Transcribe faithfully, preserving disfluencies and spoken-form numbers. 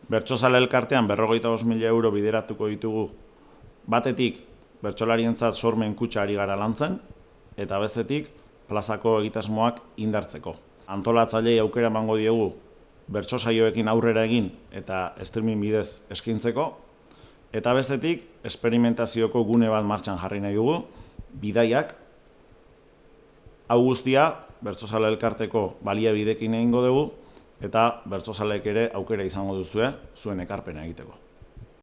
Bertsozale elkartean berrogeita bost mila euro bideratuko ditugu batetik bertsolarientzat sormen kutxa ari gara lantzen, eta bestetik plazako egitasmoak indartzeko. Antolatzailei aukera emango diegu bertso saioekin aurrera egin eta streaming bidez eskaintzeko, eta bestetik esperimentazioko gune bat martxan jarri nahi dugu, bidaiak. Hau guztia bertsozale elkarteko baliabidekin egingo dugu, eta bertsozaleek ere aukera izango duzue zuen ekarpena egiteko.